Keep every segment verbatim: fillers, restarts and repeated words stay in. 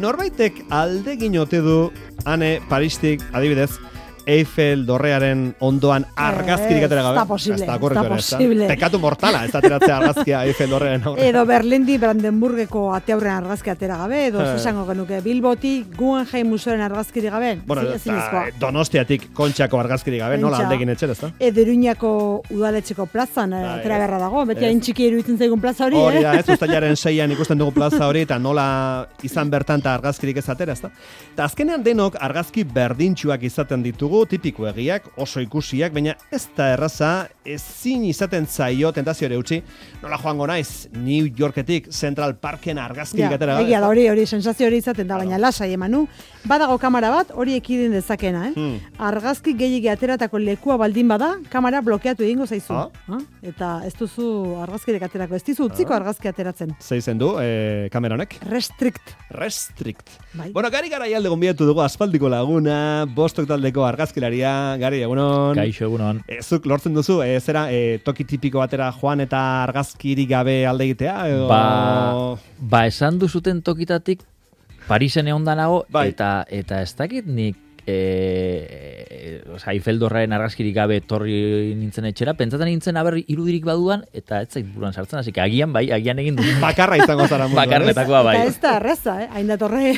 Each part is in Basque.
norbaitek aldegin ote du ane Paristik, adibidez, Eiffel dorrearen ondoan argazkirik atera gabe. Ez da posible, ez da posible. Pekatu mortala, ez da ateratzea argazkia Eiffel dorrearen aurrean. Edo Berlindi Brandenburgeko ate aurrean argazki atera gabe, edo esango genuke Bilbotik Guggenheim museoaren argazkirik gabe. Bueno, eta Donostiatik Kontxako argazkirik gabe, nola aldegin etxera, ez da? Edo Iruñako udaletxeko plazan atera beharra dago, beti hain txiki iruditzen zaigun plaza hori, hori da, ez, uztailaren seian ikusten dugu plaza hori, eta nola izan bertan eta argazkirik ez atera, ez da? Eta azkenean denok argazki berdintsuak izaten ditugu, tipiko egiak, oso ikusiak, baina ez da erraza, ezin izaten zaio tentazioare utzi, nola joango naiz New Yorketik Central Parken argazkirik atera gabe. Egia da, hori, hori, sensazio hori izaten da, baina lasai emanu, badago kamera bat, hori ekidin dezakena, eh? Hmm. Argazki gehiegi ateratako lekua baldin bada, kamera blokeatu egingo zaizu. Ah? Ah? Eta ez duzu argazkirik aterako, ez dizu utziko ah. argazki ateratzen. Zeizen du, eh, kamera honek? Restrict. Restrict. Bai. Bueno, Gari Garaialde gonbidatu dugu aspaldiko laguna, Bostok taldeko argazkilaria, Gari, egunon. Kaixo, egunon. E, zuk lortzen duzu, e, zera, e, toki tipiko batera joan eta argazkirik gabe alde egitea? Edo... Ba, ba, esan duzuten tokitatik Parisen egon danago, bai. eta, eta ez dakit nik E, e, oza, Eiffel dorraren argazkirik gabe torri nintzen etxera, pentsatzen nintzen aber irudirik baduan, eta ez zait buruan sartzen, hasi que agian bai, agian egin du. Bakarra izango zara munduan. Bakarretakoa bai. Eta ez da erreza, eh? Hain da torre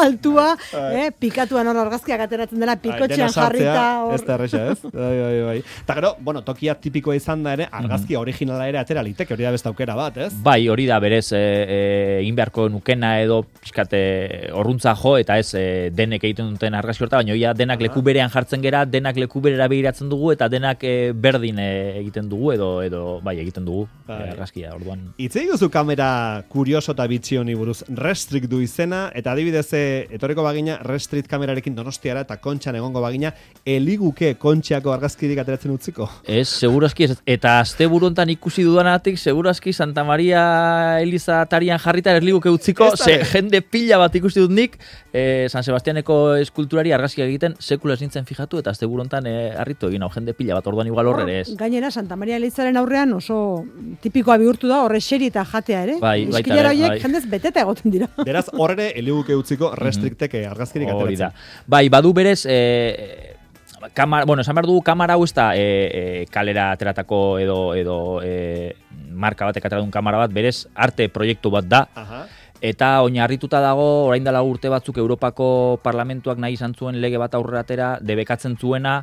altua, eh? Pikatuan hor argazkiak ateratzen dela, pikotxean jarrita. Or... Ez da erreza, ez? Bai, bai, bai. Eta gero, bueno, tokia tipikoa izan da ere, argazki originala ere atera liteke, hori da beste aukera bat, ez? Bai, hori da berez, egin e, beharko nukena edo, pixkate, orruntza jo, eta ez e, denek egiten duten argazki horta, baina ja, denak leku berean jartzen gera, denak leku berera begiratzen dugu, eta denak e, berdin e, egiten dugu, edo, edo bai, egiten dugu e, argazkia, orduan. Itzei duzu kamera kurioso eta bitxi honi buruz, Restrict du izena, eta adibidez, etorriko bagina, Restrict kamerarekin Donostiara eta Kontxan egongo bagina, eliguke Kontxako argazkirik ateratzen utziko? Ez, segurazki, eta azte buruntan ikusi dudanatik, segurazki Santa Maria Eliza tarian jarrita eliguke utziko, ze jende pila bat ikusi dut nik, e, San Sebastianeko eskulturari argazkiak egiten sekula ez nintzen fijatu, eta azte burontan e, harritu egin hau jende pila bat, orduan igual horre ez. Gainera, Santa Maria Elizaren aurrean oso tipikoa bihurtu da, horre xeri eta jatea ere. Bai, baita Eskilara horiek jendez beteta egoten dira. Beraz, horre eliguke utziko Restrictek argazkirik ateratzen. Bai, badu berez, e, kamara, bueno, esan behar dugu, kamara hau ez da e, e, kalera ateratako edo, edo e, marka batek ateratun kamara bat, berez, arte proiektu bat da. Aha. Eta oinarrituta dago, orain dela urte batzuk Europako Parlamentuak nahi izan zuen lege bat aurrera atera, debekatzen zuena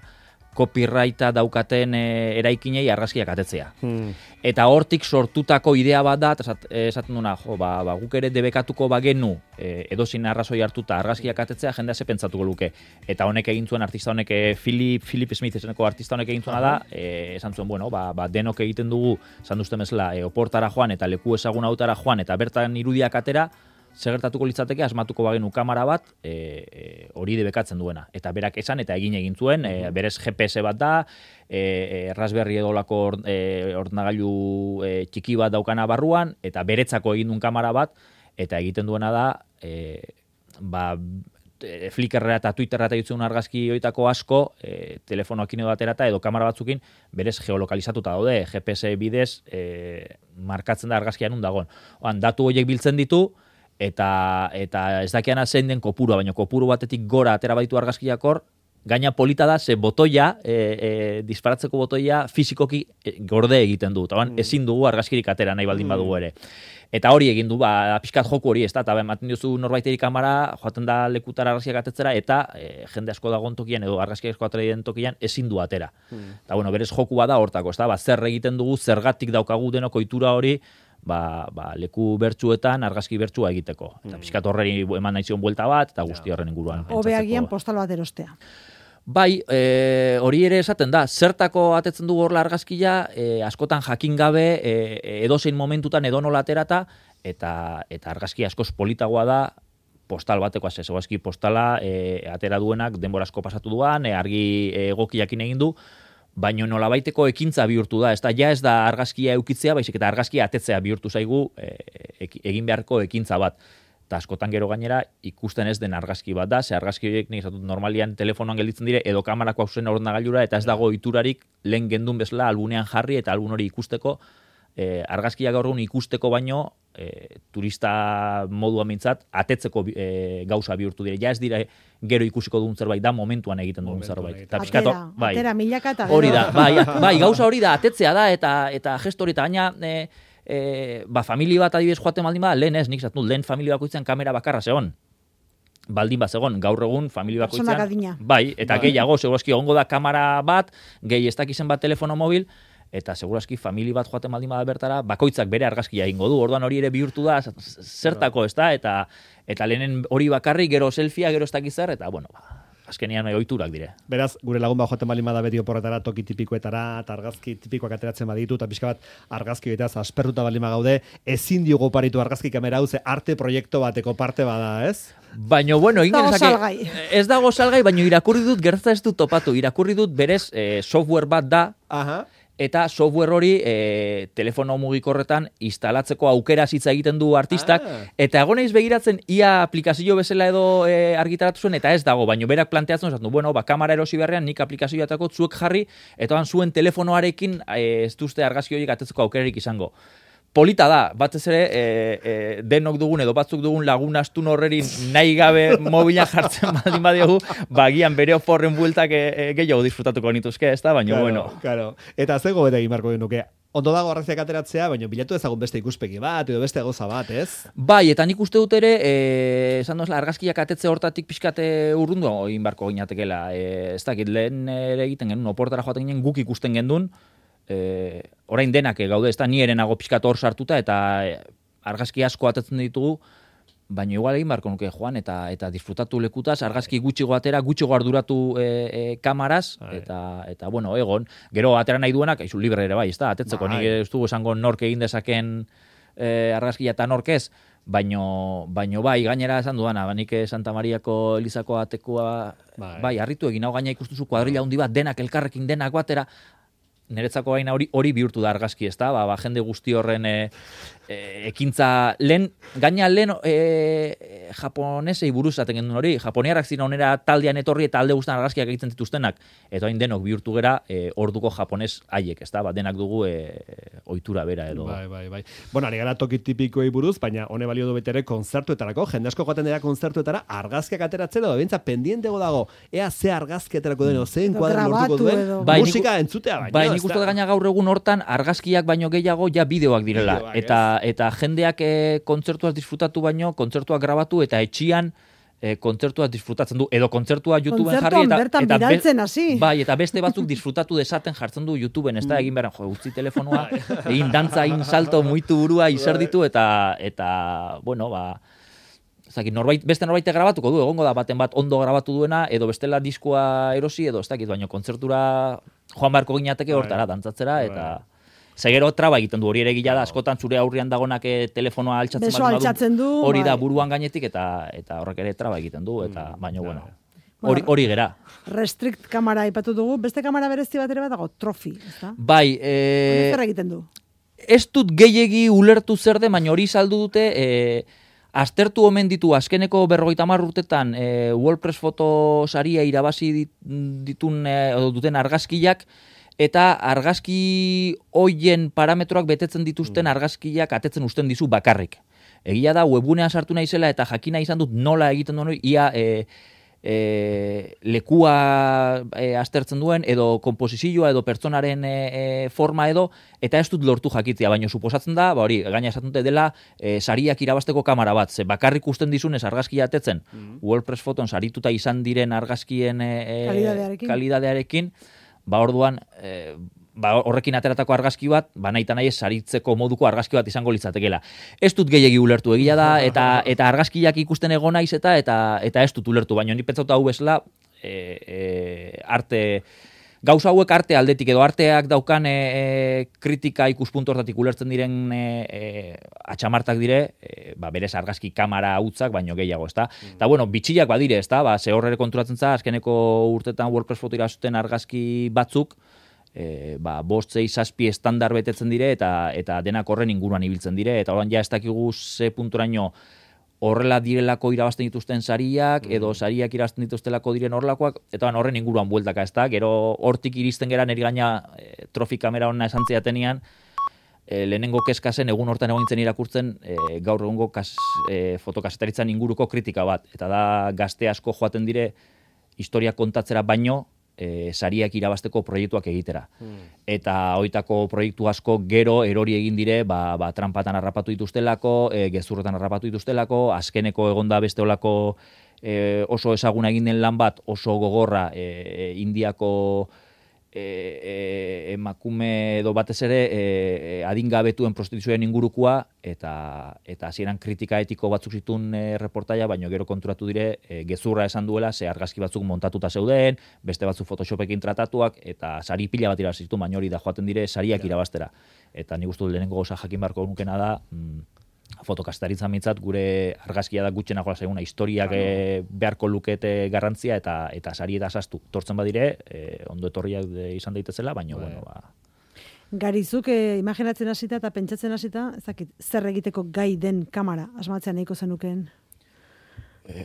copyrighta daukaten e, eraikinei argazkiak atetzea. Hmm. Eta hortik sortutako idea bat da, eta esaten duna, jo, ba, ba, guk ere debekatuko bagenu e, edozin arrazoi hartuta argazkiak atetzea, jendea ze pentsatuko luke. Eta honek egin zuen artista honek, Philip, Philip Smith eseneko artista honek egin zuena da, e, esan zuen, bueno, ba, ba, denok egiten dugu, esan duzten bezala, e, oportara joan eta leku ezagun hautara joan eta bertan irudiak atera, segertatuko litzateke asmatuko bagenu kamera bat hori e, e, debekatzen duena. Eta berak esan eta egin egin zuen, e, berez G P S bat da, e, e, Raspberry edolako or, e, ordenagailu e, txiki bat daukana barruan, eta beretzako egin duen kamera bat, eta egiten duena da, e, ba, e, Flickrra eta Twitterra eta jutzen argazki hoitako asko, e, telefonoakin edo aterata edo kamera batzukin, berez geolokalizatuta daude, G P S bidez e, markatzen da argazkia nun dagoen. Oan, datu horiek biltzen ditu, Eta, eta ez dakiana zein den kopurua, baina kopuru batetik gora atera baditu argazkiak hor, gaina polita da, ze botoia, e, e, disparatzeko botoia fizikoki gorde egiten du. Eta mm. ezin dugu argazkirik atera nahi baldin badugu ere. Eta hori egin du, ba, pixkat joku hori, ez da, eta ematen diozu norbaiteri kamera, joaten da lekutara argazkiak atetzera, eta e, jende asko dagoen tokian, edo argazkiak asko atera den tokian, ezin du atera. Mm. Eta, bueno, berez joku bada hortako, ez da, ba, zer egiten dugu, zergatik daukagu denok ohitura hori, Ba, ba, leku bertsuetan argazki bertsua egiteko. Eta mm. pixkat horreri eman nahi zion buelta bat, eta guzti horren inguruan. Hobeagian postal bat erostea. Bai, e, hori ere esaten da, zertako atetzen dugu horla argazkia, e, askotan jakin gabe, e, edozein momentutan edonola aterata, eta, eta argazki askoz politagoa da, postal bateko, ez egazki postala e, atera duenak, denbora asko pasatu duan, e, argi egokiakin egin du, baino nolabaiteko ekintza bihurtu da, ez da, ja ez da argazkia eukitzea, baizik eta argazkia atetzea bihurtu zaigu e, egin beharko ekintza bat. Eta askotan gero gainera ikusten ez den argazki bat da, ze argazki horiek nik esatut normalian telefonoan gelditzen dire, edo kamerako hausen ordenagailura, eta ez dago iturarik lehen gendun bezala albunean jarri, eta albun hori ikusteko e, argazkiak gaur egun ikusteko baino, e, turista modua mintzat, atetzeko e, gauza bihurtu dire. Ja ez dira gero ikusiko dugun zerbait da, momentuan egiten dugun zerbait. Atera, pixkato, bai, atera, milaka eta gero. Hori da, bai, bai, gauza hori da, atetzea da, eta eta gesto hori, eta gaina, e, e, ba, familia bat adibidez joaten baldin bada, lehen ez, nik zatu, lehen familia bakoitzen kamera bakarra zegoen. Baldin bat zegoen, gaur egun familia bakoitzean. Bai, eta bai. Gehiago, segurazki egongo da kamera bat, gehi ez dakizen bat telefono mobil, eta segurazki familia bat joaten baldin bada bertara, bakoitzak bere argazkia egingo du. Orduan hori ere bihurtu da zertako, ez da, eta eta lehenen hori bakarri, gero selfia, gero ez dakizar, eta bueno, ba, azkenian ohiturak dire. Beraz, gure lagun bat joaten baldin bada beti oporretara, toki tipikoetara, eta argazki tipikoak ateratzen baditu, eta pixka bat argazki egitaz aspertuta baldin gaude, ezin diogu oparitu argazki kamera hau, ze arte proiektu bateko parte bada, ez? Baina, bueno, ez dago salgai, baina irakurri dut, gertza ez dut topatu, irakurri dut berez eh, software bat da, aha. Eta software hori e, telefono mugikorretan instalatzeko aukera hitza egiten du artistak, ah. Eta egoneiz begiratzen ia aplikazio bezala edo e, argitaratu zuen, eta ez dago, baina berak planteatzen esaten du, bueno, ba, kamera erosi beharrean nik aplikazioatako zuek jarri, eta ban zuen telefonoarekin e, ez duzte argazki horiek atetzeko aukerarik izango. Polita da, batez ere, e, e, denok dugun edo batzuk dugun lagun astun horrerin nahi gabe mobila jartzen baldin badiogu, bagian bere oforren bueltak e, e, gehiago disfrutatuko nituzke, ez da, baina claro, bueno. Claro. Eta zego bete egin marko genuke, ondo dago argazkiak ateratzea, baina bilatu ezagun beste ikuspegi bat, edo beste goza bat, ez? Bai, eta nik uste dut ere, e, esan dozla, argazkiak atetze hortatik pixkate urrundu egin barko ginatekela. E, ez dakit, lehen ere egiten genuen, oportara joaten ginen, guk ikusten gendun, E, orain denak gaude, ez da, ni erenago pixkat hor sartuta, eta argazki asko atetzen ditugu, baina igual egin barko nuke joan, eta eta disfrutatu lekutaz, argazki gutxigo atera, gutxigo arduratu e, e, kamaraz, eta, eta, bueno, egon, gero atera nahi duenak, izu libre ere bai, ez da, atetzeko, nik ez dugu esango nork egin dezaken e, argazkia eta nork ez, baino, baino bai, gainera esan duana, nik Santa Mariako Elizako atekoa, bai, bai harritu egin, hau gaina ikustuzu kuadrilla handi bat, denak elkarrekin, denak batera, niretzako gaina hori hori bihurtu da argazki, ezta? Ba, ba jende guzti horren e, e, ekintza lehen gaina lehen e, japonesei buruz zaten gendun hori. Japoniarrak ziren onera taldean etorri eta alde guztan argazkiak egiten dituztenak. Eta hain denok bihurtu gera e, orduko japones haiek, ezta? Ba, denak dugu e, ohitura bera edo. Bai, bai, bai. Bueno, ari gara toki tipikoei buruz, baina hone balio du betere kontzertuetarako, jende asko joaten dira kontzertuetara argazkiak ateratzen edo bentsa pendientego dago. Ea ze argazki aterako den, mm. zein kuadro lortuko duen, bai, musika niku, entzutea baina. Bai, nik uste gaina gaur egun hortan argazkiak baino gehiago ja bideoak direla. Bideoak, eta yes. eta jendeak e, kontzertuaz disfrutatu baino, kontzertuak grabatu eta etxian e, kontzertuaz disfrutatzen du edo kontzertua YouTubeen jarri eta eta bidaltzen hasi. Bai, eta beste batzuk disfrutatu desaten jartzen du YouTubeen, ez da egin beran, jo, utzi telefonua, egin dantza, egin salto, muitu burua izerditu eta eta bueno, ba Zaki, norbait, beste norbaite grabatuko du, egongo da baten bat ondo grabatu duena, edo bestela diskoa erosi, edo ez dakit, baina kontzertura joan beharko ginateke hortara, dantzatzera, eta segero traba egiten du, hori ere gila da, askotan zure aurrian dagonak telefonoa altxatzen, Beso altxatzen du, hori da buruan gainetik, eta eta horrek ere traba egiten du, eta baina, bueno, hori hori gera. Restrict kamera aipatu dugu, beste kamera berezti bat ere bat dago, Trophy, ezta? Bai, eh... zer egiten du? Ez dut gehiegi ulertu zer den, baina hori saldu dute, eh... Aztertu omen ditu azkeneko berrogeita hamar urtetan e, WordPress foto saria irabazi ditun e, duten argazkiak eta argazki hoien parametroak betetzen dituzten argazkiak atetzen uzten dizu bakarrik. Egia da webgunean sartu naizela eta jakina izan dut nola egiten duen hori ia e, e, lekua e, aztertzen duen edo konposizioa edo pertsonaren e, e, forma edo eta ez dut lortu jakitzea, baina suposatzen da, ba hori, gaina esaten dute dela e, sariak irabasteko kamera bat, ze bakarrik usten dizunez argazkia atetzen, mm-hmm. WordPress foton sarituta izan diren argazkien e, kalidadearekin. kalidadearekin, ba orduan e, ba horrekin ateratako argazki bat, ba nahi eta nahi saritzeko moduko argazki bat izango litzatekeela. Ez dut gehiegi ulertu egia da, eta eta argazkiak ikusten egon naiz eta eta eta ez dut ulertu, baina ni pentsatu hau bezala e, e, arte gauza hauek arte aldetik edo arteak daukan e, e, kritika ikuspuntu hortatik ulertzen diren e, e, atxamartak dire, e, ba berez argazki kamera hutzak baino gehiago, ezta? Mm. Ta bueno, bitxiak badire, ezta? Ba ze horrere konturatzen za azkeneko urtetan WordPress foto irasuten argazki batzuk E, ba, bost, zei, zazpi estandar betetzen dire eta eta denak horren inguruan ibiltzen dire eta orain ja ez dakigu ze punturaino horrela direlako irabazten dituzten sariak mm. edo sariak irabazten dituztelako diren horrelakoak eta horren inguruan bueltaka, ez da? Gero hortik iristen gera neri gaina e, trofi kamera hona esan ziatenean e, lehenengo kezka zen, egun hortan egon nintzen irakurtzen, e, gaur egungo kas, e, fotokazetaritza inguruko kritika bat. Eta da gazte asko joaten dire, historia kontatzera baino, E, sariak irabasteko proiektuak egitera. Hmm. Eta hoitako proiektu asko gero erori egin dire, ba, ba, trampatan harrapatu dituztelako, e, gezurretan harrapatu dituztelako, azkeneko egonda beste olako e, oso ezaguna egin den lan bat, oso gogorra e, e, Indiako e, e, emakume edo batez ere e, e, adingabetuen prostituzioen ingurukoa, eta eta hasieran kritika etiko batzuk zituen e, reportaia, baino gero konturatu dire e, gezurra esan duela, ze argazki batzuk montatuta zeuden, beste batzuk Photoshopekin tratatuak, eta sari pila bat irabazi zituen, baino hori da joaten dire sariak irabastera. Eta nik uste dut lehenengo gauza jakin beharko nukena da, mm, fotokazetaritza mintzat gure argazkia da gutxenagoa zaiguna, historiak e, beharko lukete garrantzia, eta eta sari eta sastu tortzen badire, e, ondo etorriak de, izan daitezela, baina bueno, ba... Garizuk eh, imaginatzen hasita eta pentsatzen hasita, ez dakit, zer egiteko gai den kamera asmatzen nahiko zenukeen? Eh,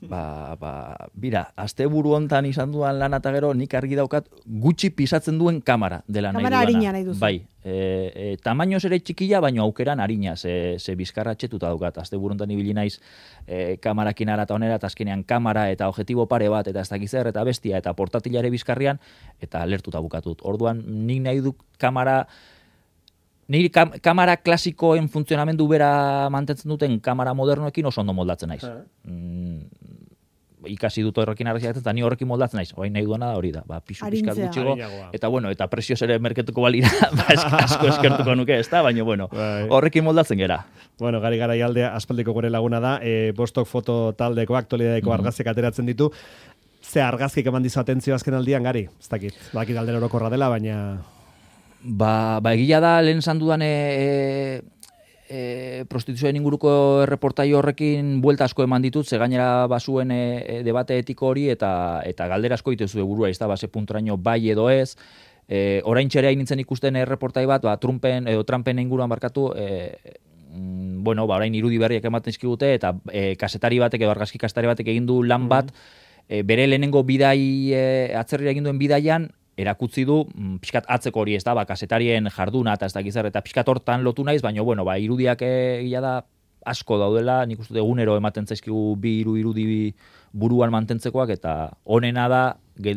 ba, ba, bira, asteburu hontan izan duan lan eta gero nik argi daukat gutxi pisatzen duen kamera dela nahi duana. Kamera harina nahi duzu. Bai, e, e, tamainoz ere txikila, baino aukeran harina, ze, ze bizkarra txetuta daukat. Asteburu hontan ibili naiz e, kamerakin ara eta onera, eta azkenean kamera eta objektibo pare bat, eta ez dakiz zer, eta bestia, eta portatilare bizkarrian, eta lertuta bukatut. Orduan, nik nahi dut kamera... Niri kam kamera klasikoen funtzionamendu bera mantentzen duten kamera modernoekin oso ondo moldatzen naiz. Mm, ikasi dut horrekin argazkiak eta ni horrekin moldatzen naiz. Orain nahi duena da hori da. Ba, pisu pizkat gutxigo. Eta bueno, eta prezioz ere merketuko balira, ba, asko eskertuko nuke, ez da? Baina bueno, horrekin moldatzen gera. Bueno, Gari Garaialdea aspaldiko gure laguna da, e, Bostok foto taldeko, aktualidadeko mm -hmm. argazkiak ateratzen ditu. Ze argazkik eman dizu atentzio azken aldian, Gari? Ez dakit, bakit aldera orokorra dela, baina... Ba, ba egia da, lehen esan dudan e, e, prostituzioen inguruko erreportaio horrekin buelta asko eman ditut, ze gainera bazuen e, debate etiko hori, eta eta galdera asko itezu burua, ez da, base puntoraino bai edo ez. E, orain txere hain nintzen ikusten erreportai bat, ba, Trumpen edo Trumpen inguruan barkatu, e, mm, bueno, ba, orain irudi berriak ematen izkigute, eta e, kasetari batek edo argazki kasetari batek egin du lan bat, e, bere lehenengo bidai, e, atzerrira egin duen bidaian, erakutzi du, pixkat atzeko hori ez da, ba, kasetarien jarduna eta ez dakiz zer, eta pixkat hortan lotu naiz, baina, bueno, ba, irudiak egia da asko daudela, nik uste egunero ematen zaizkigu bi iru irudi buruan mantentzekoak, eta honena da,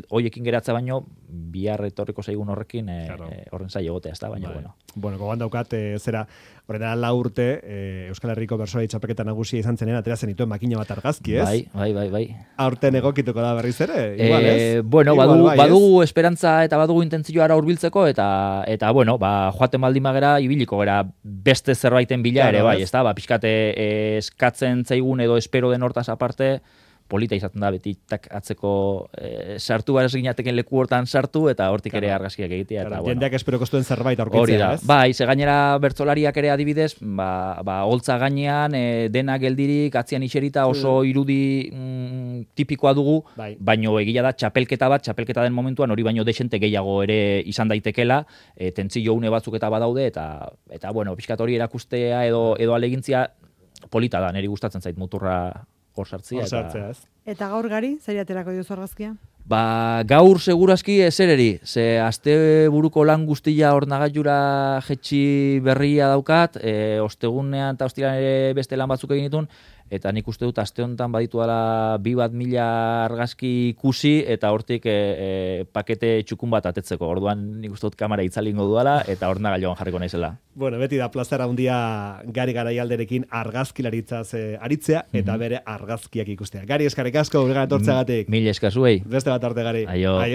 hoiekin geratza baino, bihar etorriko zaigun horrekin, e, claro. e, horren zai egotea, ez da, baina, bai. bueno. Bueno, gogoan daukat, e, zera, horrela lau urte, e, Euskal Herriko bertsolari txapelketa nagusia izan zenean, ateratzen dituen makina bat argazki, ez? Bai, bai, bai, bai. Aurten egokituko da berriz ere, igual, ez? E, bueno, igual, badugu, bai, badugu esperantza eta badugu intentzioa hurbiltzeko, eta, eta bueno, ba, joaten baldin bagera, ibiliko gara beste zerbaiten bila claro, ere, bai, ez da, ba, pixkate e, eskatzen zaigun edo espero den hortaz aparte, polita izaten da, beti tak atzeko e, sartu gara eginateken leku hortan sartu, eta hortik claro. ere argazkiak egitea. Claro, bueno. Jendeak esperoko zuen zerbait aurkitzea, ez? Bai, ze gainera bertsolariak ere adibidez, ba, ba, holtza gainean, e, dena geldirik, atzian iserita oso mm. irudi mm, tipikoa dugu, bai. baino egia da, txapelketa bat, txapelketa den momentuan, hori baino desente gehiago ere izan daitekela, e, tentzio une batzuk eta badaude, eta, eta bueno, pixkat hori erakustea edo, edo alegintzia polita da, niri gustatzen zait muturra hor sartzea. Eta... eta gaur Gari, zer aterako diozu argazkia? Ba, gaur segurazki ezereri, ze aste buruko lan guztia ornagailura jetxi berria daukat, e, ostegunean eta ostiran ere beste lan batzuk egin ditun, eta nik uste dut aste honetan baditu dela bi bat mila argazki ikusi, eta hortik e, e, pakete txukun bat atetzeko. Orduan nik uste dut kamera itzalingo duala, eta ornagailuan jarriko naizela. Bueno, beti da plazera handia Gari Garaialderekin argazkilaritzaz e, aritzea, eta mm -hmm. bere argazkiak ikustea. Gari, eskarrik asko, gure etortzeagatik. Mil esker zuei. Beste bat arte, Gari. Aio. Aio.